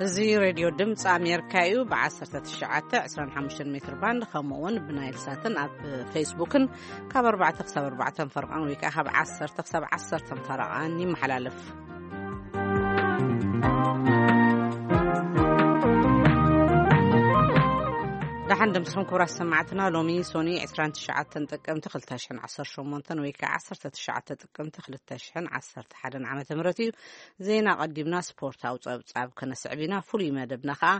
እዚ ሬድዮ ድምፂ ኣሜሪካ እዩ። ብ1925 ሜትር ባንድ፣ ከምኡ እውን ብናይል ሳትን ኣብ ፌስቡክን ካብ ኣርባዕተ ክሳብ ኣርባዕተ ፈረቓን ወይ ከዓ ካብ ዓሰርተ ክሳብ ዓሰርተ ፈረቓን ይመሓላለፍ። ደሓን ደምስኹም ክቡራት ሰማዕትና። ሎሚ ሶኒ 29 ጥቅምቲ 2018 ወይ ከዓ 19 ጥቅምቲ 2011 ዓመተ ምህረት እዩ። ዜና ቀዲምና ስፖርታዊ ጸብጻብ ከነስዕብ ኢና። ፍሉይ መደብና ከኣ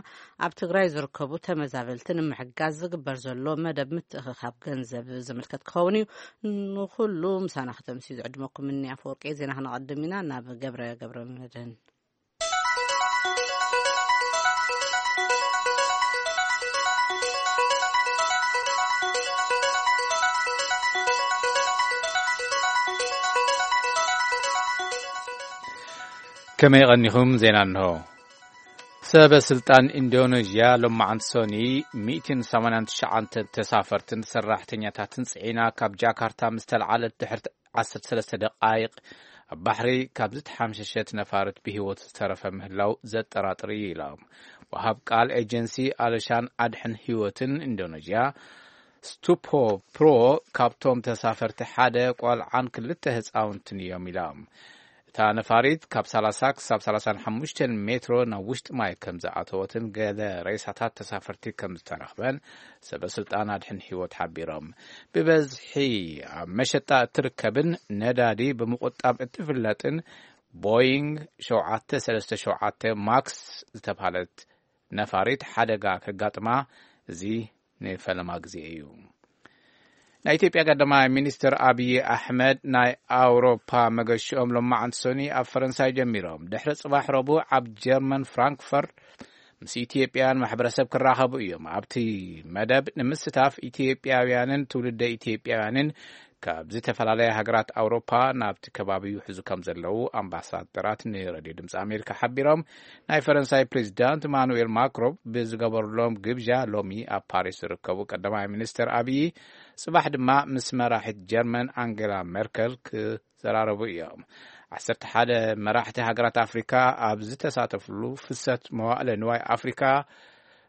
ኣብ ትግራይ ዝርከቡ ተመዛበልቲ ንምሕጋዝ ዝግበር ዘሎ መደብ ምትእኽኻብ ገንዘብ ዝምልከት ክኸውን እዩ። ንኹሉ ምሳና ከተምስዩ ዝዕድመኩም እኒ ኣፈወርቂ። ዜና ክነቐድም ኢና። ናብ ገብረ ገብረ መድህን። ከመይ ቀኒኹም? ዜና እንሆ። ሰበ ስልጣን ኢንዶኔዥያ ሎማዓንቲ ሶኒ 189 ተሳፈርትን ሰራሕተኛታትን ጽዒና ካብ ጃካርታ ምስ ተለዓለት ድሕሪ 13 ደቃይቕ ኣብ ባሕሪ ካብ ዝተሓምሸሸት ነፋሪት ብህይወት ዝተረፈ ምህላው ዘጠራጥር እዩ ኢሎም። ወሃብ ቃል ኤጀንሲ ኣለሻን ኣድሕን ህይወትን ኢንዶኔዥያ ስቱፖ ፕሮ ካብቶም ተሳፈርቲ ሓደ ቆልዓን ክልተ ህፃውንትን እዮም ኢሎም። እታ ነፋሪት ካብ 30 ክሳብ 35 ሜትሮ ናብ ውሽጢ ማይ ከም ዝኣተወትን ገለ ሬሳታት ተሳፈርቲ ከም ዝተረኽበን ሰበ ስልጣን ኣድሕን ህይወት ሓቢሮም። ብበዝሒ ኣብ መሸጣ እትርከብን ነዳዲ ብምቁጣብ እትፍለጥን ቦይንግ 737 ማክስ ዝተባህለት ነፋሪት ሓደጋ ከጋጥማ እዚ ንፈለማ ግዜ እዩ። ናይ ኢትዮጵያ ቀዳማይ ሚኒስትር ኣብይ ኣሕመድ ናይ ኣውሮፓ መገሽኦም ሎማዓንቲ ሶኒ ኣብ ፈረንሳይ ጀሚሮም፣ ድሕሪ ጽባሕ ረቡዕ ኣብ ጀርመን ፍራንክፈርት ምስ ኢትዮጵያን ማሕበረሰብ ክራኸቡ እዮም። ኣብቲ መደብ ንምስታፍ ኢትዮጵያውያንን ትውልደ ኢትዮጵያውያንን ካብ ዝተፈላለያ ሃገራት ኣውሮፓ ናብቲ ከባቢ ይውሕዙ ከም ዘለዉ ኣምባሳደራት ንሬድዮ ድምፂ ኣሜሪካ ሓቢሮም። ናይ ፈረንሳይ ፕሬዚዳንት ኢማኑኤል ማክሮን ብዝገበሩሎም ግብዣ ሎሚ ኣብ ፓሪስ ዝርከቡ ቀዳማይ ሚኒስትር ኣብይ ጽባሕ ድማ ምስ መራሒት ጀርመን ኣንጌላ ሜርከል ክዘራረቡ እዮም። 11 መራሕቲ ሃገራት ኣፍሪካ ኣብ ዝተሳተፍሉ ፍሰት መዋእለ ንዋይ ኣፍሪካ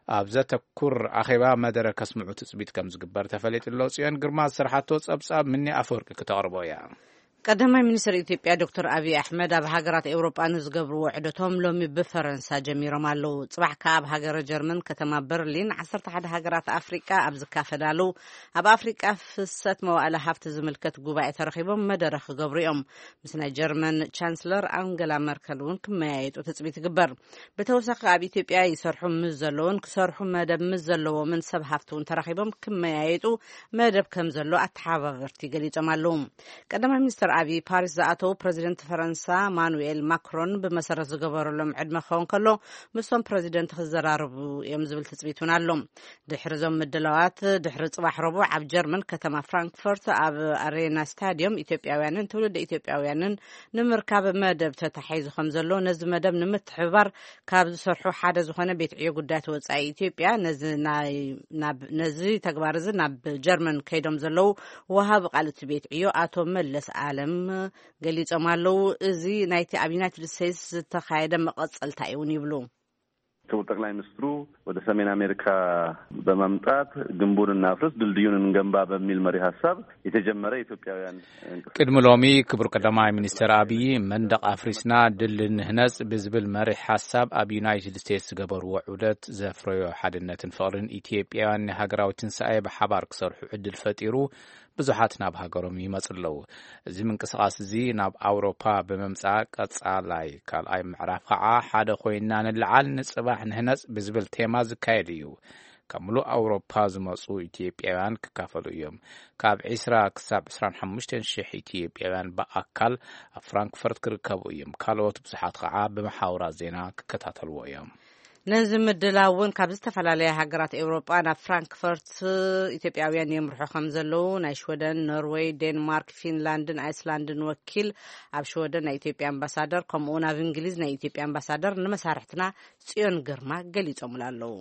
ኣብ ዘተኩር ኣኼባ መደረ ከስምዑ ትጽቢት ከም ዝግበር ተፈሊጡ ኣሎ። ጽዮን ግርማ ዝሰርሓቶ ጸብጻብ ምኒ ኣፈወርቂ ክተቕርቦ እያ። ቀዳማይ ሚኒስትር ኢትዮጵያ ዶክተር ኣብይ ኣሕመድ ኣብ ሃገራት ኤውሮጳ ንዝገብርዎ ዑደቶም ሎሚ ብፈረንሳ ጀሚሮም ኣለዉ። ጽባሕ ከኣ ኣብ ሃገረ ጀርመን ከተማ በርሊን 11 ሃገራት ኣፍሪቃ ኣብ ዝካፈዳሉ ኣብ ኣፍሪቃ ፍሰት መዋእለ ሃብቲ ዝምልከት ጉባኤ ተረኺቦም መደረ ክገብሩ እዮም። ምስ ናይ ጀርመን ቻንስለር ኣንገላ መርከል እውን ክመያየጡ ትጽቢት ይግበር። ብተወሳኺ ኣብ ኢትዮጵያ ይሰርሑ ምስ ዘለውን ክሰርሑ መደብ ምስ ዘለዎምን ሰብ ሃፍቲ እውን ተራኺቦም ክመያየጡ መደብ ከም ዘሎ ኣተሓባበርቲ ገሊጾም ኣለዉ። ቀዳማይ ሚኒስትር ኣብይ ፓሪስ ዝኣተዉ ፕረዚደንት ፈረንሳ ማኑኤል ማክሮን ብመሰረት ዝገበረሎም ዕድመ ክኸውን ከሎ ምስቶም ፕረዚደንት ክዘራረቡ እዮም ዝብል ትጽቢት እውን ኣሎ። ድሕሪ እዞም ምድላዋት ድሕሪ ጽባሕ ረቡዕ ኣብ ጀርመን ከተማ ፍራንክፈርት ኣብ ኣሬና ስታዲየም ኢትዮጵያውያንን ትውልደ ኢትዮጵያውያንን ንምርካብ መደብ ተታሒዙ ከም ዘሎ፣ ነዚ መደብ ንምትሕብባር ካብ ዝሰርሑ ሓደ ዝኾነ ቤት ዕዮ ጉዳያት ወጻኢ ኢትዮጵያ ነዚ ናይ ናብ ነዚ ተግባር እዚ ናብ ጀርመን ከይዶም ዘለዉ ወሃቢ ቃል እቲ ቤት ዕዮ ኣቶ መለስ ኣለም ገሊጾም ኣለዉ። እዚ ናይቲ ኣብ ዩናይትድ ስቴትስ ዝተኻየደ መቐጸልታ እዩ እውን ይብሉ። ክቡር ጠቅላይ ሚኒስትሩ ወደ ሰሜን አሜሪካ በመምጣት ግንቡን እናፍርስ ድልድዩን እንገንባ በሚል መሪ ሀሳብ የተጀመረ የኢትዮጵያውያን እንቅስቃሴ። ቅድሚ ሎሚ ክቡር ቀዳማይ ሚኒስትር ኣብይ መንደቕ ኣፍሪስና ድል ንህነጽ ብዝብል መሪሕ ሓሳብ ኣብ ዩናይትድ ስቴትስ ዝገበርዎ ዑደት ዘፍረዮ ሓድነትን ፍቕርን ኢትዮጵያውያን ንሃገራዊ ትንሳኤ ብሓባር ክሰርሑ ዕድል ፈጢሩ ብዙሓት ናብ ሃገሮም ይመጹ ኣለዉ። እዚ ምንቅስቓስ እዚ ናብ ኣውሮፓ ብምምጻእ ቀጻላይ ካልኣይ ምዕራፍ ከዓ ሓደ ኮይንና ንለዓል ንጽባሕ ንህነጽ ብዝብል ቴማ ዝካየድ እዩ። ካብ ምሉእ ኣውሮፓ ዝመጹ ኢትዮጵያውያን ክካፈሉ እዮም። ካብ 20 ክሳብ 25 ሺሕ ኢትዮጵያውያን ብኣካል ኣብ ፍራንክፈርት ክርከቡ እዮም። ካልኦት ብዙሓት ከዓ ብመሓውራት ዜና ክከታተልዎ እዮም። ነዚ ምድላው እውን ካብ ዝተፈላለያ ሃገራት ኤውሮጳ ናብ ፍራንክፈርት ኢትዮጵያውያን የምርሑ ከም ዘለዉ ናይ ሽወደን፣ ኖርወይ፣ ዴንማርክ፣ ፊንላንድን ኣይስላንድን ወኪል ኣብ ሽወደን ናይ ኢትዮጵያ ኣምባሳደር፣ ከምኡ እውን ኣብ እንግሊዝ ናይ ኢትዮጵያ ኣምባሳደር ንመሳርሕትና ጽዮን ግርማ ገሊጾምላ ኣለዉ።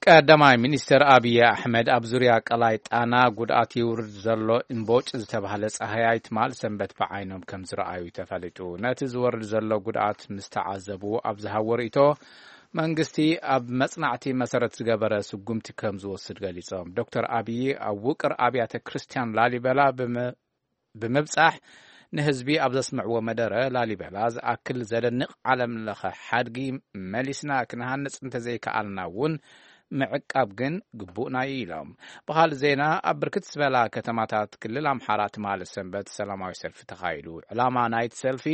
ቀዳማይ ሚኒስትር ኣብይ ኣሕመድ ኣብ ዙርያ ቀላይ ጣና ጉድኣት ይውርድ ዘሎ እምቦጭ ዝተባህለ ጻህያይ ትማል ሰንበት ብዓይኖም ከም ዝረኣዩ ተፈሊጡ። ነቲ ዝወርድ ዘሎ ጉድኣት ምስ ተዓዘቡ ኣብ ዝሃቦ ርእይቶ፣ መንግስቲ ኣብ መጽናዕቲ መሰረት ዝገበረ ስጉምቲ ከም ዝወስድ ገሊጾም። ዶክተር ኣብይ ኣብ ውቅር ኣብያተ ክርስቲያን ላሊበላ ብመ-፣ ብምብጻሕ ንህዝቢ ኣብ ዘስምዕዎ መደረ፣ ላሊበላ ዝኣክል ዘደንቕ ዓለም ለኸ ሓድጊ መሊስና ክንሃንጽ እንተዘይከኣልና እውን ምዕቃብ ግን ግቡእና እዩ ኢሎም። ብኻልእ ዜና፣ ኣብ ብርክት ዝበላ ከተማታት ክልል ኣምሓራ ትማሊ ሰንበት ሰላማዊ ሰልፊ ተኻይዱ። ዕላማ ናይቲ ሰልፊ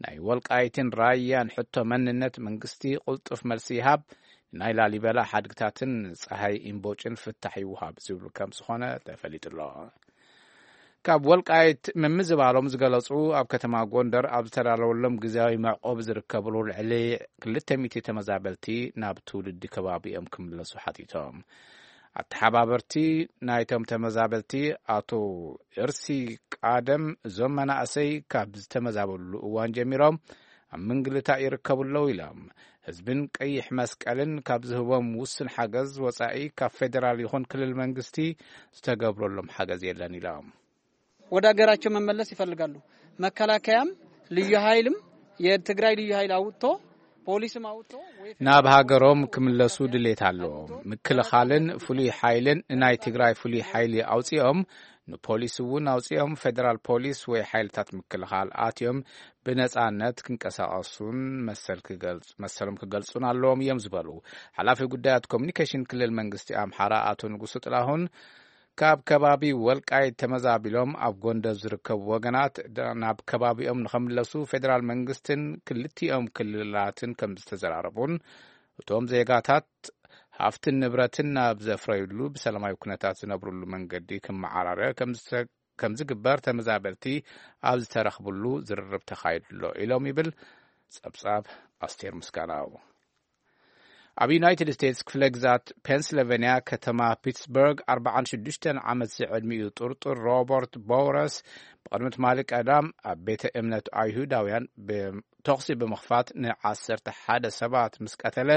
ናይ ወልቃይትን ራያን ሕቶ መንነት መንግስቲ ቅልጡፍ መልሲ ይሃብ፣ ናይ ላሊበላ ሓድግታትን ጸሃይ ኢምቦጭን ፍታሕ ይውሃብ ዝብል ከም ዝኾነ ተፈሊጡ ኣሎ። ካብ ወልቃይት ምምዝባሎም ዝገለጹ ኣብ ከተማ ጎንደር ኣብ ዝተዳለወሎም ግዝያዊ መዕቆቢ ዝርከብሉ ልዕሊ ክልተ ሚእቲ ተመዛበልቲ ናብ ትውልዲ ከባቢኦም ክምለሱ ሓቲቶም። ኣተሓባበርቲ ናይቶም ተመዛበልቲ ኣቶ እርሲ ቃደም፣ እዞም መናእሰይ ካብ ዝተመዛበሉ እዋን ጀሚሮም ኣብ ምንግልታእ ይርከቡ ኣለዉ ኢሎም። ህዝብን ቀይሕ መስቀልን ካብ ዝህቦም ውስን ሓገዝ ወጻኢ ካብ ፌደራል ይኹን ክልል መንግስቲ ዝተገብረሎም ሓገዝ የለን ኢሎም። ወደ ሀገራቸው መመለስ ይፈልጋሉ። መከላከያም ልዩ ኃይልም የትግራይ ልዩ ኃይል አውጥቶ ፖሊስም አውጥቶ ወይ ናብ ሃገሮም ክምለሱ ድሌት ኣለዎም። ምክልኻልን ፍሉይ ሓይልን ንናይ ትግራይ ፍሉይ ሓይሊ ኣውፂኦም፣ ንፖሊስ እውን ኣውፂኦም፣ ፌደራል ፖሊስ ወይ ሓይልታት ምክልኻል ኣትዮም ብነፃነት ክንቀሳቐሱን መሰል ክገልጹ-፣ መሰሎም ክገልጹን ኣለዎም እዮም ዝበሉ ሓላፊ ጉዳያት ኮሚኒኬሽን ክልል መንግስቲ ኣምሓራ ኣቶ ንጉሱ ጥላሁን፣ ካብ ከባቢ ወልቃይት ተመዛቢሎም ኣብ ጎንደር ዝርከቡ ወገናት ደ-፣ ናብ ከባቢኦም ንኸምለሱ ፌደራል መንግስትን ክልቲኦም ክልላትን ከም ዝተዘራረቡን፣ እቶም ዜጋታት ሃፍትን ንብረትን ናብ ዘፍረዩሉ ብሰላማዊ ኩነታት ዝነብሩሉ መንገዲ ክመዓራረ ከም ዝተ-፣ ከም ዝግበር ተመዛበልቲ ኣብ ዝተረኽብሉ ዝርርብ ተኻይዱ ኣሎ ኢሎም ይብል ጸብጻብ ኣስቴር ምስጋናው። ኣብ ዩናይትድ ስቴትስ ክፍለ ግዛት ፔንስልቨንያ ከተማ ፒትስበርግ ኣርባዓን ሽዱሽተን ዓመት ዝዕድሚኡ ጥርጡር ሮበርት ቦውረስ ብቕድሚ ትማሊ ቀዳም ኣብ ቤተ እምነት ኣይሁዳውያን ብ-፣ ተኹሲ ብምኽፋት ንዓሰርተ ሓደ ሰባት ምስ ቀተለ፣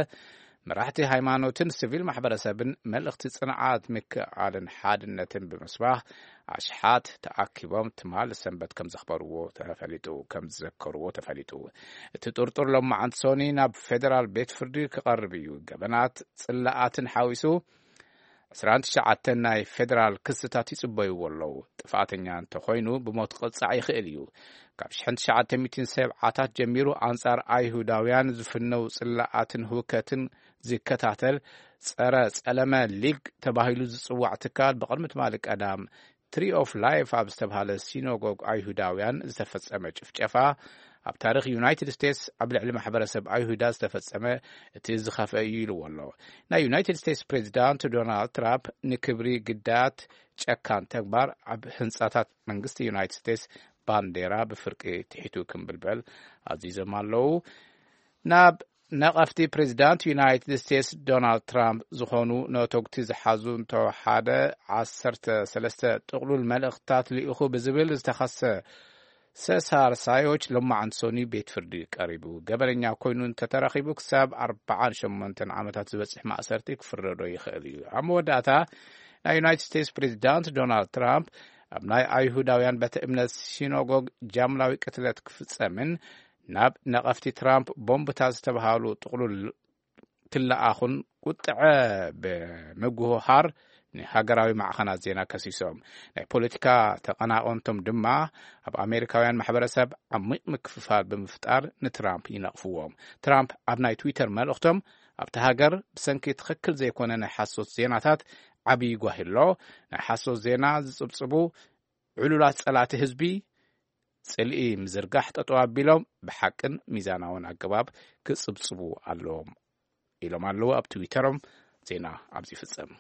መራሕቲ ሃይማኖትን ሲቪል ማሕበረሰብን መልእኽቲ ጽንዓት፣ ምክእኣልን ሓድነትን ብምስባኽ ኣሽሓት ተኣኪቦም ትማሊ ሰንበት ከም ዘኽበርዎ ተፈሊጡ፣ ከም ዝዘከርዎ ተፈሊጡ። እቲ ጥርጡር ሎማዓንቲ ሶኒ ናብ ፌደራል ቤት ፍርዲ ክቐርብ እዩ። ገበናት ጽላኣትን ሓዊሱ ዕስራን ትሽዓተን ናይ ፌደራል ክስታት ይጽበይዎ ኣለዉ። ጥፋተኛ እንተኾይኑ ብሞት ክቕጻዕ ይኽእል እዩ። ካብ ሽሕን ትሽዓተ ሚእትን ሰብዓታት ጀሚሩ ኣንጻር ኣይሁዳውያን ዝፍነው ጽላኣትን ህውከትን ዝከታተል ጸረ ጸለመ ሊግ ተባሂሉ ዝጽዋዕ ትካል ብቕድሚ ትማሊ ቀዳም ትሪ ኦፍ ላይፍ ኣብ ዝተብሃለ ሲኖጎግ ኣይሁዳውያን ዝተፈጸመ ጭፍጨፋ ኣብ ታሪኽ ዩናይትድ ስቴትስ ኣብ ልዕሊ ማሕበረሰብ ኣይሁዳ ዝተፈጸመ እቲ ዝኸፍአ እዩ ኢልዎ ኣሎ። ናይ ዩናይትድ ስቴትስ ፕሬዚዳንት ዶናልድ ትራምፕ ንክብሪ ግዳያት ጨካን ተግባር ኣብ ህንጻታት መንግስቲ ዩናይትድ ስቴትስ ባንዴራ ብፍርቂ ትሒቱ ክምብልበል ኣዚዞም ኣለዉ። ናብ ነቐፍቲ ፕሬዚዳንት ዩናይትድ ስቴትስ ዶናልድ ትራምፕ ዝኾኑ ነተጉቲ ዝሓዙ እንተወሓደ ዓሰርተ ሰለስተ ጥቕሉል መልእኽትታት ልኢኹ ብዝብል ዝተኸሰ ሰሳር ሳዮች ሎማዓንቲ ሶኒ ቤት ፍርዲ ቀሪቡ። ገበነኛ ኮይኑ እንተተረኺቡ ክሳብ ኣርባዓን ሸሞንተን ዓመታት ዝበጽሕ ማእሰርቲ ክፍረዶ ይኽእል እዩ። ኣብ መወዳእታ ናይ ዩናይትድ ስቴትስ ፕሬዚዳንት ዶናልድ ትራምፕ ኣብ ናይ ኣይሁዳውያን ቤተ እምነት ሲኖጎግ ጃምላዊ ቅትለት ክፍጸምን ናብ ነቐፍቲ ትራምፕ ቦምብታት ዝተባሃሉ ጥቕሉል ክለኣኹን ቁጥዐ ብምጉህሃር ንሃገራዊ ማዕኸናት ዜና ከሲሶም። ናይ ፖለቲካ ተቐናቐንቶም ድማ ኣብ ኣሜሪካውያን ማሕበረሰብ ዓሚቕ ምክፍፋል ብምፍጣር ንትራምፕ ይነቕፍዎም። ትራምፕ ኣብ ናይ ትዊተር መልእኽቶም፣ ኣብቲ ሃገር ብሰንኪ ትኽክል ዘይኮነ ናይ ሓሶት ዜናታት ዓብዪ ጓሂ ኣሎ። ናይ ሓሶት ዜና ዝጽብጽቡ ዕሉላት ጸላእቲ ህዝቢ ጽልኢ ምዝርጋሕ ጠጠው ኣቢሎም ብሓቅን ሚዛናውን ኣገባብ ክጽብጽቡ ኣለዎም ኢሎም ኣለዉ ኣብ ትዊተሮም። ዜና ኣብዚ ይፍጸም።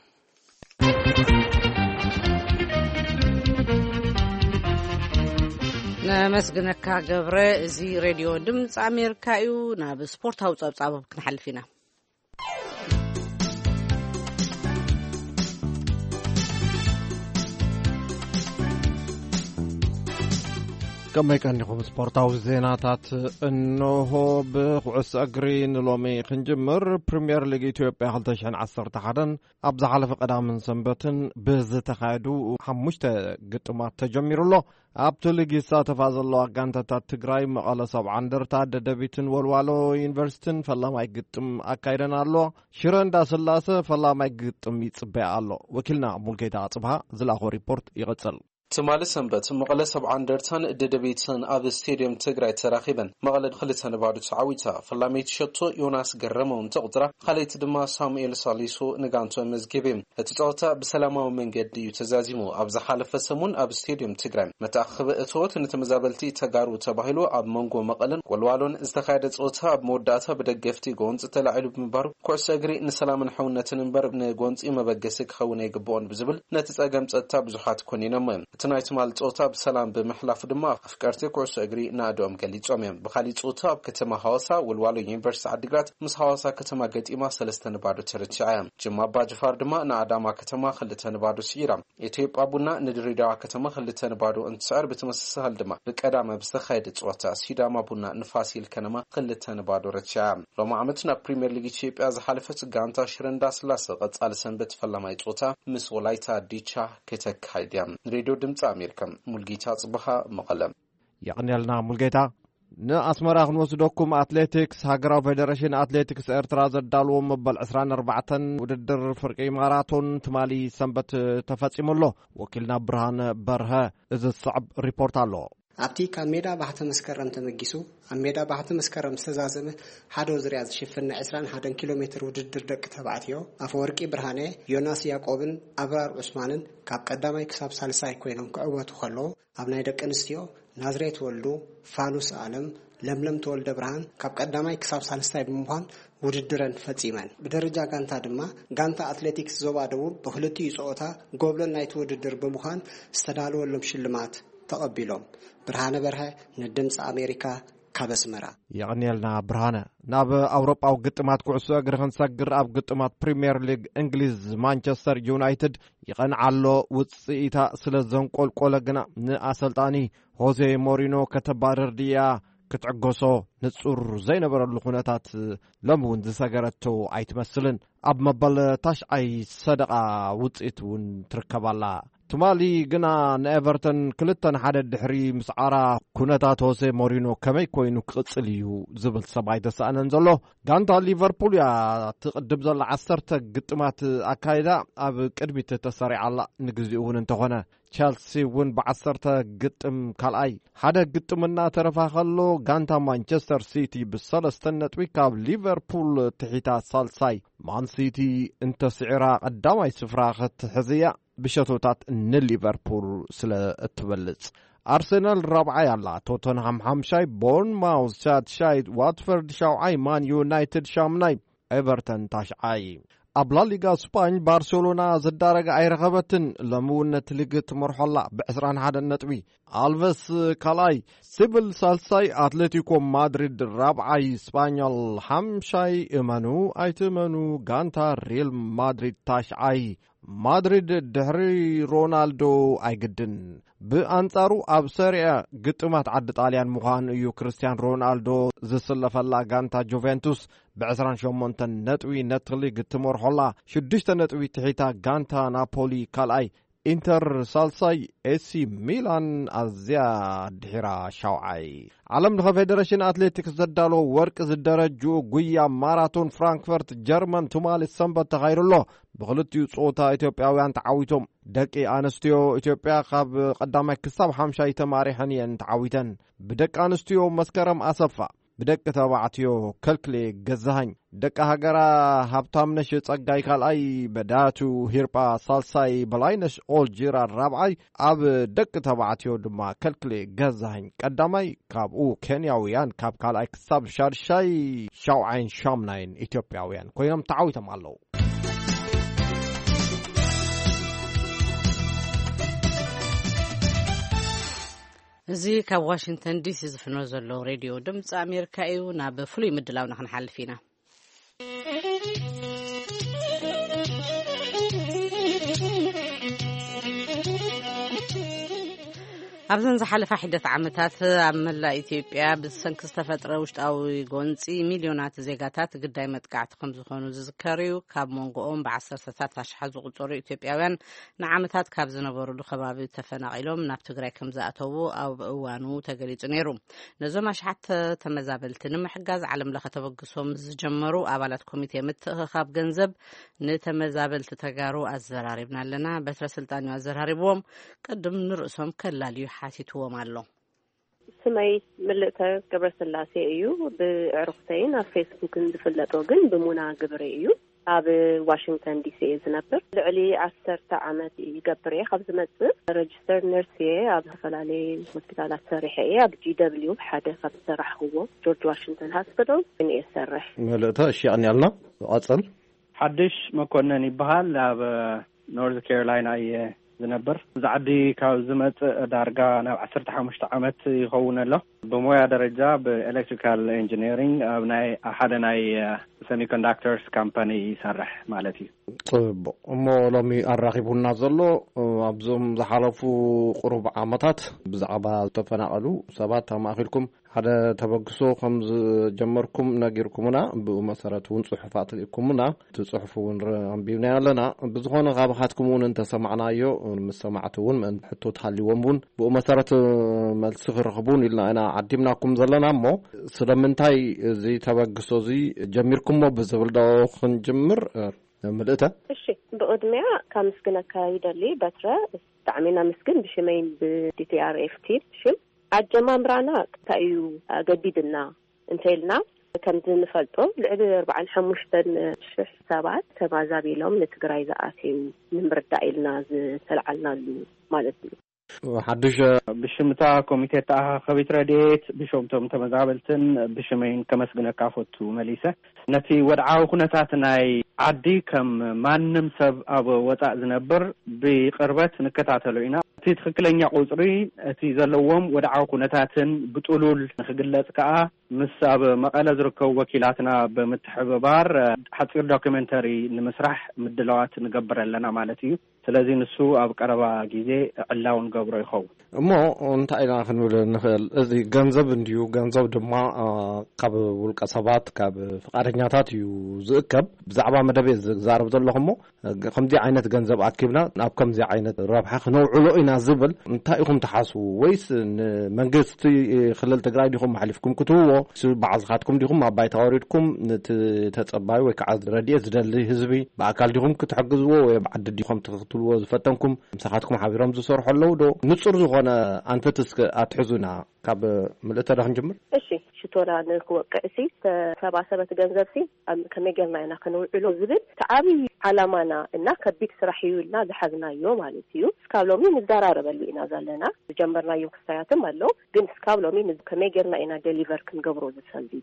ነመስግነካ ገብረ። እዚ ሬድዮ ድምፂ ኣሜሪካ እዩ። ናብ ስፖርታዊ ጸብጻብ ክንሓልፍ ኢና። ከመይ ቀኒኹም? ስፖርታዊ ዜናታት እንሆ። ብኩዕሶ እግሪ ንሎሚ ክንጅምር። ፕሪምየር ሊግ ኢትዮጵያ ክልተ ሽሕን ዓሰርተ ሓደን ኣብ ዝሓለፈ ቀዳምን ሰንበትን ብዝተኻየዱ ሓሙሽተ ግጥማት ተጀሚሩ ኣሎ። ኣብቲ ሊግ ይሳተፋ ዘለዋ ጋንታታት ትግራይ፣ መቐለ ሰብዓ እንደርታ፣ ደደቢትን ወልዋሎ ዩኒቨርሲቲን ፈላማይ ግጥም ኣካይደን ኣሎ። ሽረ እንዳስላሰ ፈላማይ ግጥም ይጽበያ ኣሎ። ወኪልና ሙልጌታ ኣጽብሃ ዝላኾ ሪፖርት ይቕጽል። ትማሊ ሰንበት መቐለ ሰብዓ እንደርታን ደደቢትን ኣብ ስቴድየም ትግራይ ተራኺበን፣ መቐለ ክልተ ንባዶ ተዓዊታ። ፈላመይቲ ሸቶ ዮናስ ገረመ እውን ተቑጽራ፣ ካልኣይቲ ድማ ሳሙኤል ሳሊሶ ንጋንቶ መዝጊቡ። እቲ ጸወታ ብሰላማዊ መንገዲ እዩ ተዛዚሙ። ኣብ ዝሓለፈ ሰሙን ኣብ ስቴድየም ትግራይ መተኣኸቢ እቶት ንተመዛበልቲ ተጋሩ ተባሂሉ ኣብ መንጎ መቐለን ወልዋሎን ዝተኻየደ ጸወታ፣ ኣብ መወዳእታ ብደገፍቲ ጎንጺ ተላዒሉ ብምንባሩ፣ ኩዕሶ እግሪ ንሰላምን ሕውነትን እምበር ንጎንጺ መበገሲ ክኸውን ኣይግብኦን ብዝብል ነቲ ጸገም ጸጥታ ብዙሓት ኮኒኖሞ እዮም። እቲ ናይ ትማሊ ጸወታ ብሰላም ብምሕላፉ ድማ ኣፍቀርቲ ኩዕሶ እግሪ ናእድኦም ገሊጾም እዮም። ብኻሊእ ጸወታ ኣብ ከተማ ሃዋሳ ወልዋሎ ዩኒቨርሲቲ ዓዲግራት ምስ ሃዋሳ ከተማ ገጢማ ሰለስተ ንባዶ ተረቲዓ እያ። ጅማ ኣባ ጅፋር ድማ ንኣዳማ ከተማ ክልተ ንባዶ ስዒራ። ኢትዮጵያ ቡና ንድሬዳዋ ከተማ ክልተ ንባዶ እንትስዕር፣ ብተመሳሳሊ ድማ ብቀዳመ ብዝተኻየደ ጸወታ ሲዳማ ቡና ንፋሲል ከነማ ክልተ ንባዶ ረቲዓ። ሎም ዓመት ናብ ፕሪምየር ሊግ ኢትዮጵያ ዝሓለፈት ጋንታ ሽረ እንዳስላሰ ቀጻሊ ሰንበት ፈላማይ ጸወታ ምስ ወላይታ ዲቻ ከተካይድ እያ። ንሬድዮ ድምጺ ኣሜሪካ፣ ሙልጌታ ጽብሃ፣ መቐለ። የቕንየልና ሙልጌታ። ንኣስመራ ክንወስደኩም፣ ኣትሌቲክስ፣ ሃገራዊ ፌደሬሽን ኣትሌቲክስ ኤርትራ ዘዳልዎ መበል ዕስራን ኣርባዕተን ውድድር ፍርቂ ማራቶን ትማሊ ሰንበት ተፈጺሙ ኣሎ። ወኪልና ብርሃነ በርሀ እዚ ዝስዕብ ሪፖርት ኣሎ። ኣብቲ ካብ ሜዳ ባሕቲ መስከረም ተመጊሱ ኣብ ሜዳ ባሕቲ መስከረም ዝተዛዘመ ሓደ ዙርያ ዝሽፍን ናይ ዕስራን ሓደን ኪሎ ሜትር ውድድር ደቂ ተባዕትዮ፣ ኣፈወርቂ ብርሃነ፣ ዮናስ ያቆብን ኣብራር ዑስማንን ካብ ቀዳማይ ክሳብ ሳልሳይ ኮይኖም ክዕወቱ ከለዉ፣ ኣብ ናይ ደቂ ኣንስትዮ ናዝሬት ወልዱ፣ ፋኑስ ኣለም፣ ለምለም ተወልደ ብርሃን ካብ ቀዳማይ ክሳብ ሳልስታይ ብምዃን ውድድረን ፈጺመን። ብደረጃ ጋንታ ድማ ጋንታ ኣትሌቲክስ ዞባ ደቡብ ብክልቲኡ ጸወታ ጎብለል ናይቲ ውድድር ብምዃን ዝተዳለወሎም ሽልማት ተቐቢሎም። ብርሃነ በርሀ ንድምፂ ኣሜሪካ ካብ ኣስመራ። የቐንየልና ብርሃነ። ናብ ኣውሮጳዊ ግጥማት ኩዕሶ እግሪ ክንሰግር፣ ኣብ ግጥማት ፕሪምየር ሊግ እንግሊዝ ማንቸስተር ዩናይትድ ይቐንዓሎ ውፅኢታ ስለ ዘንቆልቆለ ግና ንኣሰልጣኒ ሆዜ ሞሪኖ ከተባረር ድያ ክትዕገሶ ንጹር ዘይነበረሉ ኩነታት ሎሚ እውን ዝሰገረቶ ኣይትመስልን። ኣብ መበል ታሽዓይ ሰደቓ ውፅኢት እውን ትርከባላ። ትማሊ ግና ንኤቨርተን ክልተ ንሓደ ድሕሪ ምስዓራ ኩነታት ሆሴ ሞሪኖ ከመይ ኮይኑ ክቕጽል እዩ ዝብል ሰብ ኣይተሳእነን ዘሎ። ጋንታ ሊቨርፑል እያ ትቕድም ዘላ፣ ዓሰርተ ግጥማት ኣካይዳ ኣብ ቅድሚት ተሰሪዓላ። ንግዚኡ እውን እንተኾነ ቸልሲ እውን ብዓሰርተ ግጥም ካልኣይ፣ ሓደ ግጥም እናተረፋ ከሎ፣ ጋንታ ማንቸስተር ሲቲ ብሰለስተ ነጥቢ ካብ ሊቨርፑል ትሒታ ሳልሳይ፣ ማን ሲቲ እንተስዒራ ቀዳማይ ስፍራ ክትሕዝ እያ፣ ብሸቶታት ንሊቨርፑል ስለ እትበልጽ። ኣርሰናል ራብዓይ ኣላ፣ ቶተንሃም ሓምሻይ፣ ቦርንማውዝ ሻድሻይ፣ ዋትፈርድ ሻውዓይ፣ ማን ዩናይትድ ሻምናይ፣ ኤቨርተን ታሽዓይ። ኣብ ላሊጋ ስፓኝ ባርሴሎና ዝዳረገ ኣይረኸበትን። ሎሚ እውን ነቲ ሊግ ትመርሖ ኣላ ብዕስራን ሓደን ነጥቢ። ኣልቨስ ካልኣይ፣ ሲቪል ሳልሳይ፣ ኣትሌቲኮ ማድሪድ ራብዓይ፣ ስፓኛል ሓምሻይ። እመኑ ኣይትእመኑ፣ ጋንታ ሪል ማድሪድ ታሽዓይ። ማድሪድ ድሕሪ ሮናልዶ ኣይግድን። ብኣንጻሩ ኣብ ሰሪያ ግጥማት ዓዲ ጣልያን ምዃኑ እዩ። ክርስቲያን ሮናልዶ ዝስለፈላ ጋንታ ጁቬንቱስ ብዕስራን ሸሞንተን ነጥቢ ነቲ ሊግ ትመርሖላ፣ ሽዱሽተ ነጥቢ ትሒታ ጋንታ ናፖሊ ካልኣይ፣ ኢንተር ሳልሳይ፣ ኤሲ ሚላን ኣዝያ ድሒራ ሻውዓይ። ዓለም ለኸ ፌደሬሽን ኣትሌቲክስ ዘዳለዎ ወርቂ ዝደረጅኡ ጉያ ማራቶን ፍራንክፈርት ጀርመን ትማሊ ሰንበት ተኻይዱ ኣሎ። ብኽልቲኡ ጾታ ኢትዮጵያውያን ተዓዊቶም። ደቂ ኣንስትዮ ኢትዮጵያ ካብ ቀዳማይ ክሳብ ሓምሻይ ተማሪሐን እየን ተዓዊተን። ብደቂ ኣንስትዮ መስከረም ኣሰፋ፣ ብደቂ ተባዕትዮ ከልክሌ ገዛሃኝ፣ ደቂ ሃገራ ሃብታምነሽ ጸጋይ ካልኣይ፣ በዳቱ ሂርጳ ሳልሳይ፣ በላይነሽ ኦልጂራ ራብዓይ፣ ኣብ ደቂ ተባዕትዮ ድማ ከልክሌ ገዛሃኝ ቀዳማይ፣ ካብኡ ኬንያውያን ካብ ካልኣይ ክሳብ ሻድሻይ፣ ሻውዓይን ሻምናይን ኢትዮጵያውያን ኮይኖም ተዓዊቶም ኣለዉ። እዚ ካብ ዋሽንግተን ዲሲ ዝፍኖ ዘሎ ሬድዮ ድምፂ ኣሜሪካ እዩ። ናብ ፍሉይ ምድላውና ክንሓልፍ ኢና። ኣብዘን ዝሓለፋ ሒደት ዓመታት ኣብ መላእ ኢትዮጵያ ብሰንኪ ዝተፈጥረ ውሽጣዊ ጎንፂ ሚልዮናት ዜጋታት ግዳይ መጥቃዕቲ ከም ዝኾኑ ዝዝከር እዩ። ካብ መንጎኦም ብዓሰርተታት ኣሽሓት ዝቑጸሩ ኢትዮጵያውያን ንዓመታት ካብ ዝነበሩሉ ከባቢ ተፈናቒሎም ናብ ትግራይ ከም ዝኣተዉ ኣብ እዋኑ ተገሊጹ ነይሩ። ነዞም ኣሽሓት ተመዛበልቲ ንምሕጋዝ ዓለም ለኸ ተበግሶ ምስ ዝጀመሩ ኣባላት ኮሚቴ ምትእኽኻብ ገንዘብ ንተመዛበልቲ ተጋሩ ኣዘራሪብና ኣለና። በትረ ስልጣን እዩ ኣዘራሪብዎም። ቅድም ንርእሶም ከላልዩ ሓቲትዎም ኣሎ። ስመይ ምልእተ ገብረስላሴ እዩ። ብዕሩኽተይን ኣብ ፌስቡክን ዝፍለጦ ግን ብሙና ግብሬ እዩ። ኣብ ዋሽንግተን ዲሲ እየ ዝነብር። ልዕሊ ዓሰርተ ዓመት ይገብር እየ ካብ ዝመጽእ። ረጅስተር ነርስ እየ። ኣብ ዝተፈላለየ ሆስፒታላት ሰሪሐ እየ። ኣብ ጂ ደብሊው ሓደ ካብ ዝሰራሕክዎ ጆርጅ ዋሽንግተን ሃስፒታል እየ ዝሰርሕ። ምልእተ እሺ፣ የቐንያልና። ቀጽል። ሓድሽ መኮነን ይበሃል። ኣብ ኖርዝ ካሮላይና እየ ዝነብር። እዚ ዓዲ ካብ ዝመጽእ ዳርጋ ናብ ዓሰርተ ሓሙሽተ ዓመት ይኸውን ኣሎ። ብሞያ ደረጃ ብኤሌክትሪካል ኢንጂነሪንግ ኣብ ናይ ሓደ ናይ ሰሚኮንዳክተርስ ካምፓኒ ይሰርሕ ማለት እዩ። ጽቡቕ። እሞ ሎሚ ኣራኺቡና ዘሎ ኣብዞም ዝሓለፉ ቁሩብ ዓመታት ብዛዕባ ዝተፈናቐሉ ሰባት ኣማእኺልኩም ሓደ ተበግሶ ከም ዝጀመርኩም ነጊርኩምና፣ ብኡ መሰረት እውን ጽሑፋት ልኢኩምና፣ እቲ ጽሑፍ እውን ረ-፣ ኣንቢብናዮ ኣለና። ብዝኾነ ካብኻትኩም እውን እንተሰማዕናዮ፣ ምስ ሰማዕቲ እውን ምእንቲ ሕቶ ተሃልይዎም እውን ብኡ መሰረት መልሲ ክረኽቡ እውን ኢልና ኢና ዓዲምናኩም ዘለና። እሞ ስለምንታይ እዚ ተበግሶ እዚ ጀሚርኩሞ ብዝብል ዶ ክንጅምር? ምልእተ። እሺ፣ ብቕድሚያ ካመስግነካ ይደሊ በትረ። ብጣዕሚ ናመስግን ብሽመይን ብዲቲኣርኤፍ ቲም ሽም። ኣጀማምራና እንታይ እዩ ኣገዲድና እንተኢልና፣ ከምዚ ንፈልጦ ልዕሊ ኣርባዓን ሓሙሽተን ሽሕ ሰባት ተማዛቢሎም ንትግራይ ዝኣተዩ ንምርዳእ ኢልና ዝተልዓልናሉ ማለት እዩ። ሓድሽ ብሽምታ ኮሚቴ ተኣኻኸቢት ረድኤት፣ ብሽምቶም ተመዛበልትን ብሽመይን ከመስግነካ ፈቱ መሊሰ። ነቲ ወድዓዊ ኩነታት ናይ ዓዲ ከም ማንም ሰብ ኣብ ወጻእ ዝነብር ብቅርበት ንከታተሎ ኢና። እቲ ትኽክለኛ ቁጽሪ፣ እቲ ዘለዎም ወድዓዊ ኩነታትን ብጥሉል ንክግለጽ ከኣ ምስ ኣብ መቐለ ዝርከቡ ወኪላትና ብምትሕብባር ሓጺር ዶክመንተሪ ንምስራሕ ምድላዋት ንገብር ኣለና ማለት እዩ። ስለዚ ንሱ ኣብ ቀረባ ግዜ ዕላው ንገብሮ ይኸውን። እሞ እንታይ ኢና ክንብል ንኽእል? እዚ ገንዘብ እንድዩ፣ ገንዘብ ድማ፣ አ፣ ካብ ውልቀ ሰባት፣ ካብ ፍቓደኛታት እዩ ዝእከብ። ብዛዕባ መደብ እየ ዝዛረብ ዘለኹ እሞ፣ እ፣ ከምዚ ዓይነት ገንዘብ ኣኪብና ናብ ከምዚ ዓይነት ረብሓ ክነውዕሎ ኢና ዝብል እንታይ ኢኹም ትሓስቡ? ወይስ ንመንግስቲ ክልል ትግራይ ዲኹም ኣሕሊፍኩም ክትህብዎ? ስ-፣ ባዕልኻትኩም ዲኹም ኣብ ባይታ ወሪድኩም ነቲ ተጸባዩ ወይ ከዓ ረድኤት ዝደሊ ህዝቢ ብኣካል ዲኹም ክትሕግዝዎ ወይ ኣብ ዓዲ ዲኹም ትኽትልዎ ዝፈተንኩም? ምሳኻትኩም ሓቢሮም ዝሰርሑ ኣለዉ ዶ? ንጹር ዝኾነ ኣንፈት እስከ ኣትሕዙና። ካብ ምልእተ ዶ ክንጅምር? እሺ፣ ሽቶና ንክወቅዕ ሲ፣ ተሰባሰበ እቲ ገንዘብ ሲ፣ ኣብ ከመይ ጌርና ኢና ከነውዕሎ ዝብል እቲ ዓብዪ ዓላማና እና ከቢድ ስራሕ እዩ ኢልና ዝሓዝናዮ ማለት እዩ። እስካብ ሎሚ ንዘራረበሉ ኢና ዘለና። ዝጀመርናዮ ክስታያትም ኣሎ፣ ግን እስካብ ሎሚ ን-፣ ከመይ ጌርና ኢና ደሊቨር ክንገብሮ ዝሰልዲ?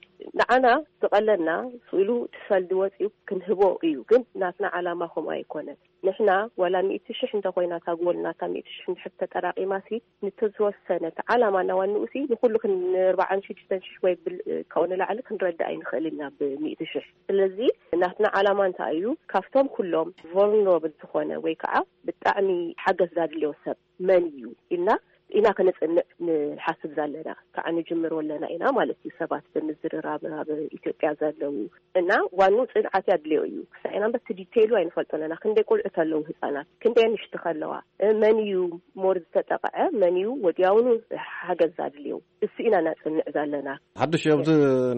ንዓና ዝቐለና ስኢሉ እቲ ሰልዲ ወፂኡ ክንህቦ እዩ፣ ግን ናትና ዓላማ ከምኡ ኣይኮነን። ንሕና ዋላ ሚእቲ ሽሕ እንተኾይና እታ ጎል ናታ ሚእቲ ሽሕ እንድሕር ተጠራቒማሲ፣ ንተዝወሰነ እቲ ዓላማ እናዋንኡሲ ንኹሉ ክን-፣ ንኣርባዓን ሽዱሽተን ሽሕ ወይ ብል-፣ ካብኡ ንላዕሊ ክንረድእ ኣይንኽእልን ኢና ብሚእቲ ሽሕ። ስለዚ ናትና ዓላማ እንታይ እዩ? ካብቶም ኩሎም ቮልነራብል ዝኾነ ወይ ከዓ ብጣዕሚ ሓገዝ ዛድልዮ ሰብ መን እዩ ኢልና ኢና ከነጽንዕ ንሓስብ ዘለና። ከዓ ንጅምሮ ኣለና ኢና ማለት እዩ። ሰባት ብምዝርራብ ኣብ ኢትዮጵያ ዘለዉ እና ዋኑ ጽንዓት ያድልዮ እዩ። ክሳዕ ኢና በቲ ዲቴይሉ ኣይንፈልጦን ኢና። ክንደይ ቆልዑት ኣለዉ፣ ህጻናት፣ ክንደይ ኣንሽቲ ከለዋ፣ እ፣ መን እዩ ሞር ዝተጠቕዐ፣ መን እዩ ወዲያውኑ ሓገዝ ኣድልዮ፣ እሱ ኢና ናጽንዕ ዘለና። ሓድሽ ኣብዚ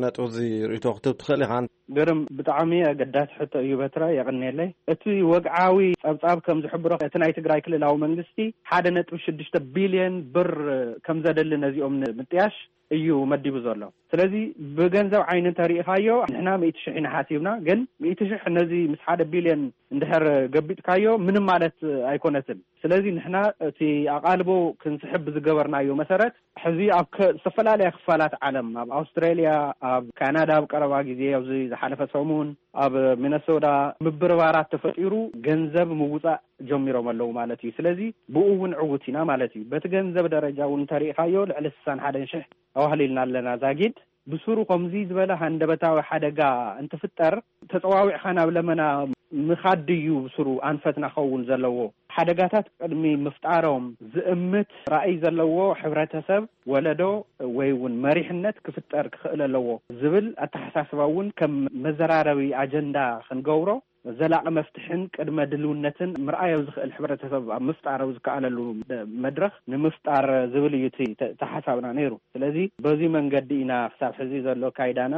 ነጥቢ እዚ ርእይቶ ክትህብ ትኽእል ኢኻ። ግርም፣ ብጣዕሚ ኣገዳሲ ሕቶ እዩ በትረ፣ የቐንየለይ። እቲ ወግዓዊ ጸብጻብ ከም ዝሕብሮ፣ እቲ ናይ ትግራይ ክልላዊ መንግስቲ ሓደ ነጥቢ ሽዱሽተ ቢልዮን ብር ከም ዘደሊ ነዚኦም ንምጥያሽ እዩ መዲቡ ዘሎ። ስለዚ ብገንዘብ ዓይኒ እንተሪኢኻዮ፣ ንሕና ሚእቲ ሽሕ ኢና ሓሲብና፣ ግን ሚእቲ ሽሕ ነዚ ምስ ሓደ ቢልዮን እንድሕር ገቢጥካዮ ምንም ማለት ኣይኮነትን። ስለዚ ንሕና እቲ ኣቓልቦ ክንስሕብ ብዝገበርናዮ መሰረት፣ ሕዚ ኣብ ከ-፣ ዝተፈላለያ ክፋላት ዓለም፣ ኣብ ኣውስትራልያ፣ ኣብ ካናዳ፣ ኣብ ቀረባ ግዜ፣ ኣብዚ ዝሓለፈ ሰሙን ኣብ ሚነሶታ ምብርባራት ተፈጢሩ፣ ገንዘብ ምውጻእ ጀሚሮም ኣለዉ ማለት እዩ። ስለዚ ብኡ እውን ዕዉት ኢና ማለት እዩ። በቲ ገንዘብ ደረጃ እውን እንተሪኢኻዮ፣ ልዕሊ ስሳን ሓደን ሽሕ ኣዋህሊልና ኣለና ዛጊድ። ብስሩ ከምዚ ዝበለ ሃንደበታዊ ሓደጋ እንትፍጠር፣ ተጸዋዊዕኻ ናብ ለመና ምኻድ ድዩ ብስሩ ኣንፈትና ክኸውን ዘለዎ? ሓደጋታት ቅድሚ ምፍጣሮም ዝእምት ራእይ ዘለዎ ሕብረተሰብ፣ ወለዶ ወይ እውን መሪሕነት ክፍጠር ክኽእል ኣለዎ ዝብል ኣተሓሳስባ እውን ከም መዘራረቢ ኣጀንዳ ክንገብሮ፣ ዘላቒ መፍትሕን ቅድመ ድልውነትን ምርኣዮ ዝኽእል ሕብረተሰብ ኣብ ምፍጣር ኣብ ዝከኣለሉ መድረኽ ንምፍጣር ዝብል እዩ እቲ ተ-፣ ተሓሳብና ነይሩ። ስለዚ በዚ መንገዲ ኢና ክሳብ ሕዚ ዘሎ ካይዳና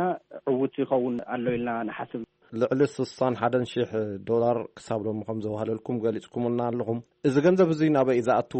ዕውት ይኸውን ኣሎ ኢልና ንሓስብ። ልዕሊ ስሳን ሓደን ሽሕ ዶላር ክሳብ ሎሚ ከም ዘዋህለልኩም ገሊጽኩምልና ኣለኹም። እዚ ገንዘብ እዚ ናበይ እዩ ዝኣቱ?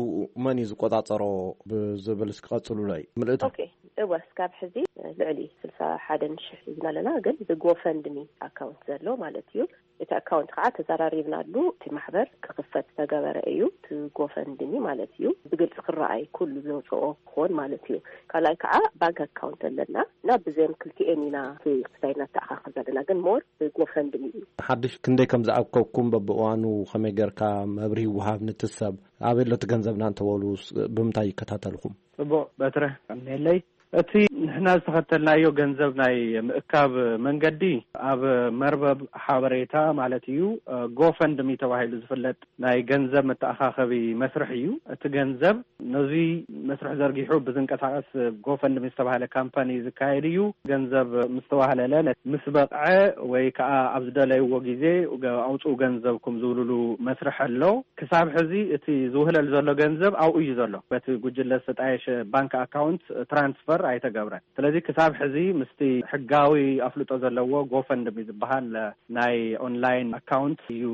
መን እዩ ዝቆጻጸሮ? ብዝብል እስኪ ቀጽሉለይ። ምልእታ። ኦኬ፣ እወ፣ እስካብ ሕዚ ልዕሊ ስልሳ ሓደን ሽሕ ሒዝና ኣለና፣ ግን ብጎፈንድሚ ኣካውንት ዘሎ ማለት እዩ። እቲ ኣካውንት ከዓ ተዘራሪብናሉ፣ እቲ ማሕበር ክኽፈት ዝተገበረ እዩ። እቲ ጎፈንድሚ ማለት እዩ፣ ብግልፂ ክረኣይ፣ ኩሉ ዘውፅኦ ክኾን ማለት እዩ። ካልኣይ ከዓ ባንክ ኣካውንት ኣለና እና ብዘም ክልቲኤን ኢና እቲ ክስታይ እናተኣኻኸብ ዘለና፣ ግን ሞር ብጎፈንድሚ እዩ። ሓድሽ ክንደይ ከም ዝኣከብኩም በብእዋኑ ከመይ ጌርካ መብርሂ ይወሃብ? ንቲ ሰብ ኣበይ ኣሎ እቲ ገንዘብና እንተበሉ ስ-፣ ብምንታይ ይከታተልኹም? ጽቡቕ በትረ፣ እምነለይ። እቲ ንሕና ዝተኸተልናዮ ገንዘብ ናይ ምእካብ መንገዲ ኣብ መርበብ ሓበሬታ ማለት እዩ፣ እ፣ ጎፈንድሚ ተባሂሉ ዝፍለጥ ናይ ገንዘብ መተኣኻኸቢ መስርሕ እዩ። እቲ ገንዘብ ነዚ መስርሕ ዘርጊሑ ብዝንቀሳቐስ ጎፈንድሚ ዝተባህለ ካምፓኒ ዝካየድ እዩ። ገንዘብ ምስ ተዋህለለ፣ ነ-፣ ምስ በቕዐ ወይ ከዓ ኣብ ዝደለይዎ ግዜ ገ-፣ ኣውፅኡ ገንዘብኩም ዝብልሉ መስርሕ ኣሎ። ክሳብ ሕዚ እቲ ዝውህለል ዘሎ ገንዘብ ኣብኡ እዩ ዘሎ። በቲ ጉጅለ ዝተጣየሸ ባንክ ኣካውንት ትራንስፈር ኣይተገብረን። ስለዚ ክሳብ ሕዚ ምስቲ ሕጋዊ ኣፍልጦ ዘለዎ ጎፈንድሚ ዝበሃል ናይ ኦንላይን ኣካውንት እዩ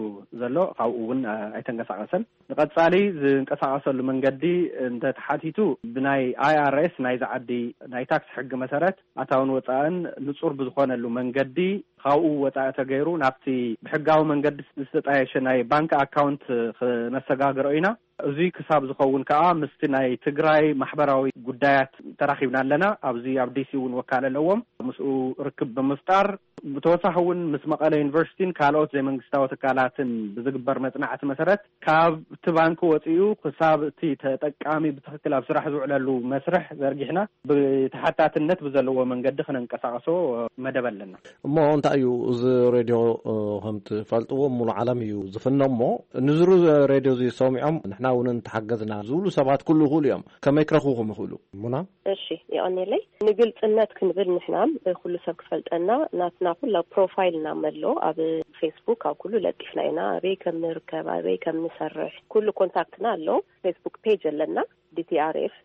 ዘሎ። ካብኡ እውን ኣይተንቀሳቐሰን። ንቐጻሊ ዝንቀሳቐሰሉ መንገዲ እንተተሓቲቱ፣ ብናይ ኣይ ኣር ኤስ ናይዚ ዓዲ ናይ ታክስ ሕጊ መሰረት ኣታውን ወጻእን ንጹር ብዝኾነሉ መንገዲ ካብኡ ወጻኢ ተገይሩ ናብቲ ብሕጋዊ መንገዲ ዝተጣየሸ ናይ ባንክ ኣካውንት ክነሰጋግሮ ኢና። እዚ ክሳብ ዝኸውን ከኣ ምስቲ ናይ ትግራይ ማሕበራዊ ጉዳያት ተራኺብና ኣለና። ኣብዚ ኣብ ዲ ሲ እውን ወካለ ኣለዎም። ምስኡ ርክብ ብምፍጣር ብተወሳኺ እውን ምስ መቐለ ዩኒቨርሲቲን ካልኦት ዘይመንግስታዊ ትካላትን ብዝግበር መጽናዕቲ መሰረት ካብቲ ባንክ ወጺኡ ክሳብ እቲ ተጠቃሚ ብትኽክል ኣብ ስራሕ ዝውዕለሉ መስርሕ ዘርጊሕና ብተሓታትነት ብዘለዎ መንገዲ ክነንቀሳቐሶ መደብ ኣለና። እሞ እንታይ እዩ እዚ ሬድዮ? እ፣ ከም ትፈልጥዎ ሙሉ ዓለም እዩ ዝፍኖ። እሞ ንዝሩ ሬድዮ እዚ ሰሚዖም ንሕና እውን እንተሓገዝና ዝብሉ ሰባት ክህልዉ ይኽእሉ እዮም። ከመይ ክረኽቡኹም ይኽእሉ? ሙና? እሺ፣ የቐኔለይ። ንግልጽነት ክንብል ንሕና ኩሉ ሰብ ክፈልጠና ናትና ኩላ ፕሮፋይልና መሎ ኣብ ፌስቡክ ኣብ ኩሉ ለጢፍና ኢና። ኣበይ ከም ንርከብ፣ ኣበይ ከም ንሰርሕ ኩሉ ኮንታክትና ኣሎ። ፌስቡክ ፔጅ ኣለና፣ ዲ ቲ ኣር ኤፍ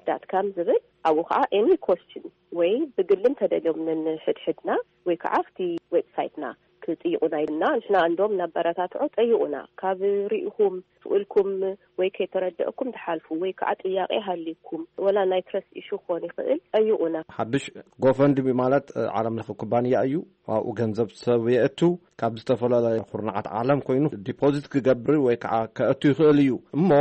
ዳት ካም ዝብል። ኣብኡ ከዓ ኤኒ ኮስችን ወይ ብግልን ተደልዮም ንሕድሕድና ወይ ከዓ ኣብቲ ዌብሳይትና ክጥይቁና ይብልና። ንሕና እንዶም እናበረታትዖ ጠይቁና። ካብ ርኢኹም ስእልኩም ወይ ከይተረደእኩም ትሓልፉ ወይ ከዓ ጥያቄ ሃልይኩም ወላ ናይ ትረስት ኢሹ ክኾን ይኽእል፣ ጠይቁና። ሓድሽ ጎፈንድሚ ማለት፣ እ፣ ዓለም ለኸ ኩባንያ እዩ። ኣብኡ ገንዘብ ሰብ የእቱ። ካብ ዝተፈላለዩ ኩርናዓት ዓለም ኮይኑ ዲፖዚት ክገብር ወይ ከዓ ከእቱ ይኽእል እዩ። እሞ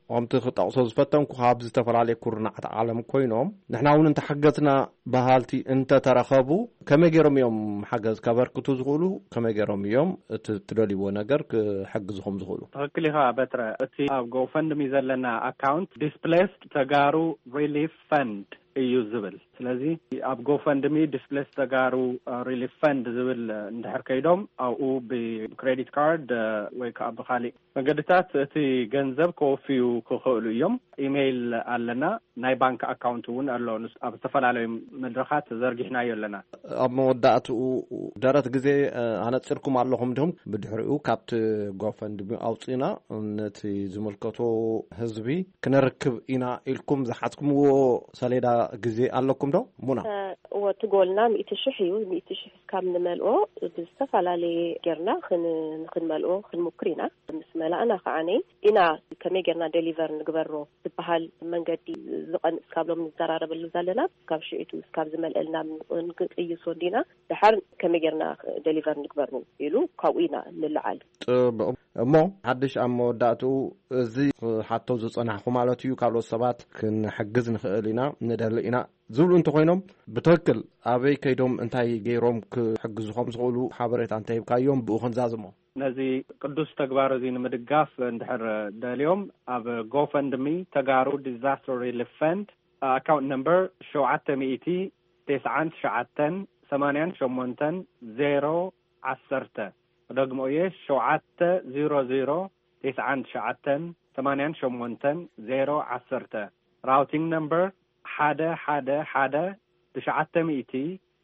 ከምቲ ክጠቕሶ ዝፈተንኩ ካብ ዝተፈላለየ ኩርናዓት ዓለም ኮይኖም ንሕና እውን እንተሓገዝና በሃልቲ እንተተረኸቡ ከመይ ገይሮም እዮም ሓገዝ ከበርክቱ ዝኽእሉ? ከመይ ገይሮም እዮም እቲ ትደልይዎ ነገር ክሕግዝኹም ዝኽእሉ? ትኽክል ኢኻ በትረ። እቲ ኣብ ጎፈንድሚ ዘለና ኣካውንት ዲስፕሌስድ ተጋሩ ሪሊፍ ፈንድ እዩ ዝብል። ስለዚ ኣብ ጎፈንድሚ ዲስፕሌስድ ተጋሩ፣ እ፣ ሪሊፍ ፈንድ ዝብል፣ እ፣ እንድሕር ከይዶም ኣብኡ ብክሬዲት ካርድ፣ እ፣ ወይ ከዓ ብካሊእ መገድታት እቲ ገንዘብ ከወፍዩ ክኽእሉ እዮም። ኢሜይል ኣለና፣ ናይ ባንክ ኣካውንት እውን ኣሎ። ንስ-፣ ኣብ ዝተፈላለዩ መድረኻት ዘርጊሕናዮ ኣለና። ኣብ መወዳእትኡ ደረት ግዜ፣ እ፣ ኣነጺርኩም ኣለኹም ዲኹም? ብድሕሪኡ ካብቲ ጎፈንድሚ ኣውጺእና ነቲ ዝምልከቶ ህዝቢ ክነርክብ ኢና ኢልኩም ዝሓዝኩምዎ ሰሌዳ ግዜ ኣለኩም ዶ? ሙና። እ፣ እወ፣ እቲ ጎልና ሚእቲ ሽሕ እዩ። ሚእቲ ሽሕ እስካብ ንመልኦ ብዝተፈላለየ ጌርና ክን-፣ ንክንመልኦ ክንሙክር ኢና። ምስ መላእና ከዓኒ ኢና ከመይ ጌርና ዴሊቨር ንግበሮ ዝበሃል መንገዲ ዝቐንስ ካብ ሎም ንዘራረበሉ ዘለና። ካብ ሽዒቱ እስካብ ዝመልአልና ንቅይሶ እንዲና፣ ደሓር ከመይ ጌርና ዴሊቨር ንግበሮ ኢሉ ካብኡ ኢና ንለዓል። ጽቡቕ። እሞ ሓድሽ ኣብ መወዳእትኡ እዚ ክሓቶ ዝጸናሕኩ ማለት እዩ፣ ካልኦት ሰባት ክንሕግዝ ንኽእል ኢና፣ ንደሊ ኢና ዝብሉ እንተኾይኖም፣ ብትኽክል ኣበይ ከይዶም እንታይ ገይሮም ክሕግዙ ከም ዝኽእሉ ሓበሬታ እንተሂብካዮም ብኡ ክንዛዝሞ። ነዚ ቅዱስ ተግባር እዚ ንምድጋፍ እንድሕር ደልዮም፣ ኣብ ጎፈንድሚ ተጋሩ ዲዛስተር ሪሊፍ ፈንድ፣ ኣካውንት ነምበር ሸውዓተ ሚእቲ፣ ተስዓን ትሽዓተን፣ ሰማንያን ሸሞንተን፣ ዜሮ፣ ዓሰርተ፣ ደግሞ'የ፣ ሸውዓተ ዜሮ ዜሮ፣ ተስዓን ትሽዓተን፣ ሰማንያን ሸሞንተን፣ ዜሮ ዓሰርተ። ራውቲንግ ነምበር ሓደ ሓደ ሓደ፣ ትሽዓተ ሚእቲ፣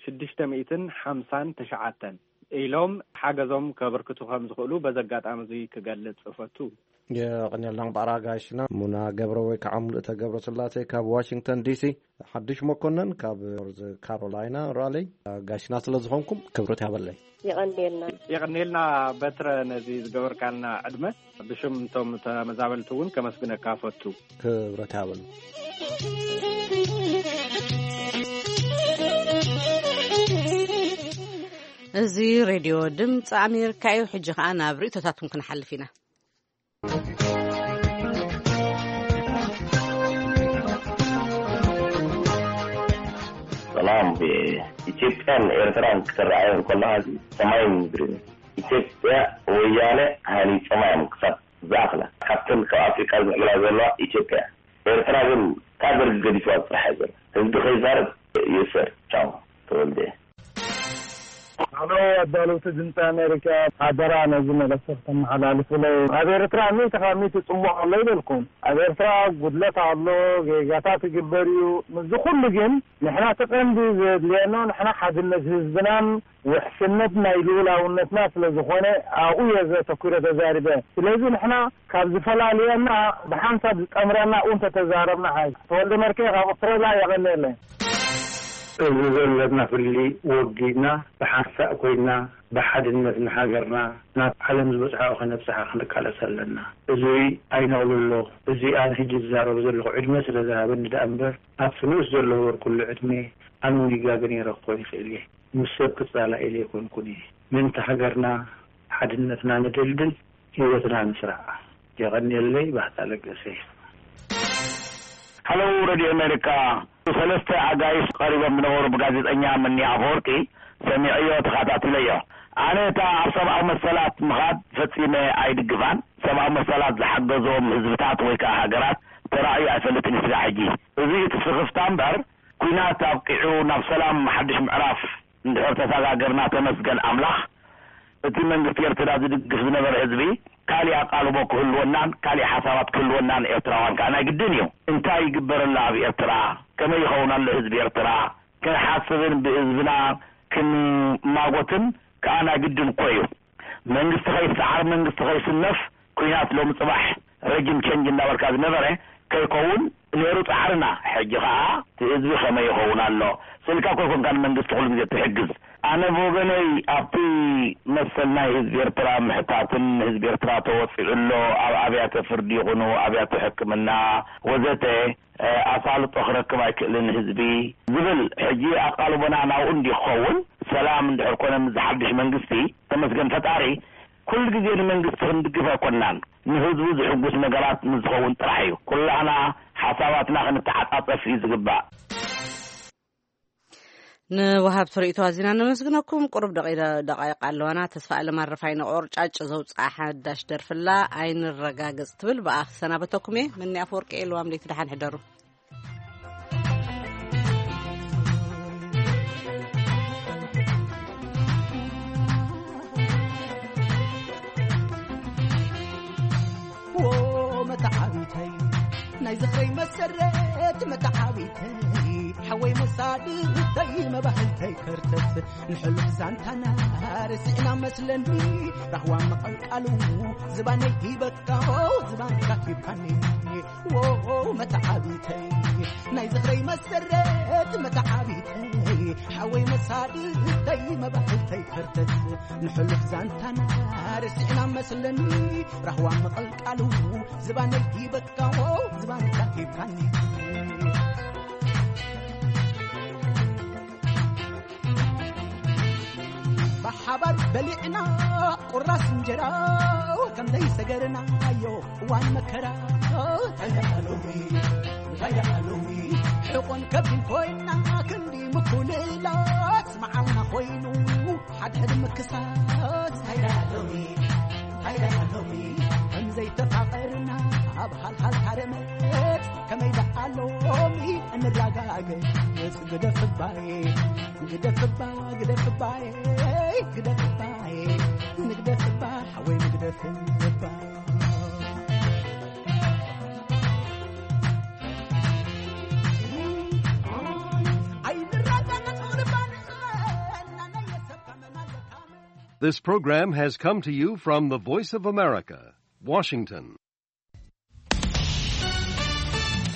ሽዱሽተ ሚእትን ሓምሳን ትሽዓተን ኢሎም ሓገዞም ከበርክቱ ከም ዝኽእሉ በዚ ኣጋጣሚ እዚ ክገልጽ እፈቱ። የቐንየልና እምበኣር ኣጋይሽና ሙና ገብረ ወይ ከዓ ሙሉእተ ገብረ ስላሴ ካብ ዋሽንግተን ዲሲ፣ ሓድሽ መኮነን ካብ ኖርዝ ካሮላይና ራሊ፣ ኣጋይሽና ስለ ዝኾንኩም ክብረት ያበለይ። የቐንየልና። የቐንየልና በትረ፣ ነዚ ዝገበርካልና ዕድመ ብሽም እቶም ተመዛበልቲ እውን ከመስግነካ ፈቱ። ክብረት ያበሉ። እዚ ሬድዮ ድምፂ ኣሜሪካ እዩ። ሕጂ ከዓ ናብ ርእቶታትኩም ክንሓልፍ ኢና። ሰላም። ኢትዮጵያን ኤርትራን ክትረኣየን ከለኻ እዚ ሰማይን ምድርን እዩ። ኢትዮጵያ ወያነ ሃኒጾማ እዮም ክሳብ ዝኣኽላ። ካብተን ካብ ኣፍሪቃ ዝምዕብላ ዘለዋ ኢትዮጵያ። ኤርትራ ግን ካብ ደርጊ ገዲፍዋ ዝጥራሕ እያ ዘላ። ህዝቢ ከይዛረብ ይእሰር። ቻው። ተወልደ። ኣሎ ኣዳለውቲ ድምፂ ኣሜሪካ፣ ሓደራ ነዚ መልእኽቲ ክተመሓላልፉለይ። ኣብ ኤርትራ ሚእቲ ካብ ሚእቲ ጽቡቕ ኣሎ ይበልኩም። ኣብ ኤርትራ ጉድለት ኣሎ፣ ጌጋታት ይግበር እዩ። ምስዚ ኩሉ ግን ንሕና እቲ ቀንዲ ዘድልየና ንሕና ሓድነት ህዝብናን ውሕስነት ናይ ልኡላውነትና ስለ ዝኾነ ኣብኡ እየ ዘተኲረ ተዛሪበ። ስለዚ ንሕና ካብ ዝፈላልየና ብሓንሳብ ዝጠምረና ኣብኡ እንተተዛረብና ሓይሽ። ተወልደ መርኬ ካብ ኣውስትራልያ የቐንየለይ። እዚ ዘለና ፍሊ ወጊድና ብሓንሳእ ኮይና ብሓድነት ንሃገርና ናብ ዓለም ዝበፅሓኦ ከነብፅሓ ክንቃለስ ኣለና። እዚ ኣይነቕልሎ። እዚ ኣነ ሕጂ ዝዛረቦ ዘለኹ ዕድመ ስለ ዝሃበኒ ደኣ እምበር ኣብቲ ንኡስ ዘሎ ወር ኩሉ ዕድመ ኣነ እውን ይጋገ ነይረ ክኾን ይኽእል እየ። ምስ ሰብ ክፃላእ ኢለ ኣይኮንኩን እየ። ምእንቲ ሃገርና ሓድነትና ንደልድል፣ ህይወትና ንስራዕ። የቐንየለይ። ባህታ ለገሰ። ሃለው ሬድዮ ኣሜሪካ፣ ሰለስተ ኣጋይሽ ቀሪቦም ዝነበሩ ብጋዜጠኛ ምኒ ኣፈወርቂ ሰሚዐዮ፣ ተኸታቲለዮ። ኣነ እታ ኣብ ሰብኣዊ መሰላት ምኻድ ፈጺመ ኣይድግፋን። ሰብኣዊ መሰላት ዝሓገዞም ህዝብታት ወይ ከዓ ሃገራት ተራእዩ ኣይፈልጥን ስጋዕ ሕጂ። እዚ እቲ ስኽፍታ እምበር፣ ኲናት ኣብቂዑ ናብ ሰላም ሓድሽ ምዕራፍ እንድሕር ተሰጋገርና ተመስገን ኣምላኽ። እቲ መንግስቲ ኤርትራ ዝድግፍ ዝነበረ ህዝቢ ካሊእ ኣቃልቦ ክህልወናን ካሊእ ሓሳባት ክህልወናን ኤርትራውያን ከዓ ናይ ግድን እዩ። እንታይ ይግበረላ ኣብ ኤርትራ? ከመይ ይኸውን ኣሎ ህዝቢ ኤርትራ? ክንሓስብን ብህዝብና ክንማጎትን ከዓ ናይ ግድን እኮ እዩ። መንግስቲ ከይሰዓር መንግስቲ ከይስነፍ ኲናት ሎሚ ፅባሕ ረጅም ቸንጅ እንዳበልካ ዝነበረ ከይከውን ነይሩ ፃዕርና። ሕጂ ከዓ እቲ ህዝቢ ከመይ ይኸውን ኣሎ? ስእልካ እኮ ይኮንካ ንመንግስቲ ኩሉ ግዜ ትሕግዝ። ኣነ ብወገነይ ኣብቲ መሰል ናይ ህዝቢ ኤርትራ ምሕታትን ህዝቢ ኤርትራ ተወፂዑ ኣሎ ኣብ ኣብያተ ፍርዲ ይኹኑ ኣብያተ ሕክምና ወዘተ ኣሳልጦ ክረክብ ኣይክእልን ህዝቢ ዝብል ሕጂ ኣቃልቦና ናብኡ እንዲ ክኸውን ሰላም እንድሕር ኮነ ምስ ዝሓድሽ መንግስቲ ተመስገን ፈጣሪ ኩሉ ግዜ ንመንግስቲ ክንድግፍ ኣይኮናን ንህዝቡ ዝሕጉስ ነገራት ምስ ዝኸውን ጥራሕ እዩ ኩላህና ሓሳባትና ክንተዓጻጸፍ እዩ ዝግባእ። ንወሃብቲ ርእይቶ ኣዚና ነመስግነኩም። ቁሩብ ደቂ- ደቃይቕ ኣለዋና። ተስፋ ኣለማረፋይ ንቆርጫጭ ዘውፅኣ ሓዳሽ ደርፍላ ኣይንረጋገፅ ትብል ብኣ ክሰናበተኩም እየ። ምኒ ኣፈወርቂ እየ። ልዋም ለይቲ ደሓን ሕደሩ። መታዓቢተይ ናይ ዝኽረይ መሰረት መታዓቢተይ ሓወይ መሳድተይ መባህልተይ ከርተት ንሕሉፍ ዛንታና ርሲዕና መስለኒ ራህዋ መቐልቃሉ ዝባነይ ሂበካዎ ዝባንካ ሂብካኒ ዎ መታዓቢተይ ናይ ዝኽረይ መሰረት መታዓቢተይ ሓወይ መሳድተይ መባህልተይ ከርተት ንሕሉፍ ዛንታና ርሲዕና መስለኒ ራህዋ መቐልቃሉ ዝባነይ ሂበካዎ ዝባንካ ሂብካኒ ብሓባር በሊዕና ቁራስ እንጀራ ከም ዘይሰገርናዮ እዋን መከራ እንታይ ደኣ ሎሚ እንታይ ደኣ ሎሚ ሕቆን ከቢን ኮይና ክንዲ ምኩልላት መዓልና ኮይኑ ሓድሕድ ምክሳት እንታይ ደኣ ሎሚ እንታይ ደኣ ሎሚ ከም ዘይተፋቐርና ኣብ ሃልሃል ታረመት ከመይ ደኣ ሎሚ ንራጋገ ግደፍባይ ግደፍባ ግደፍባይ ግደፍባይ ንግደፍባ ሓወይ ንግደፍባ This program has come to you from the Voice of America, Washington.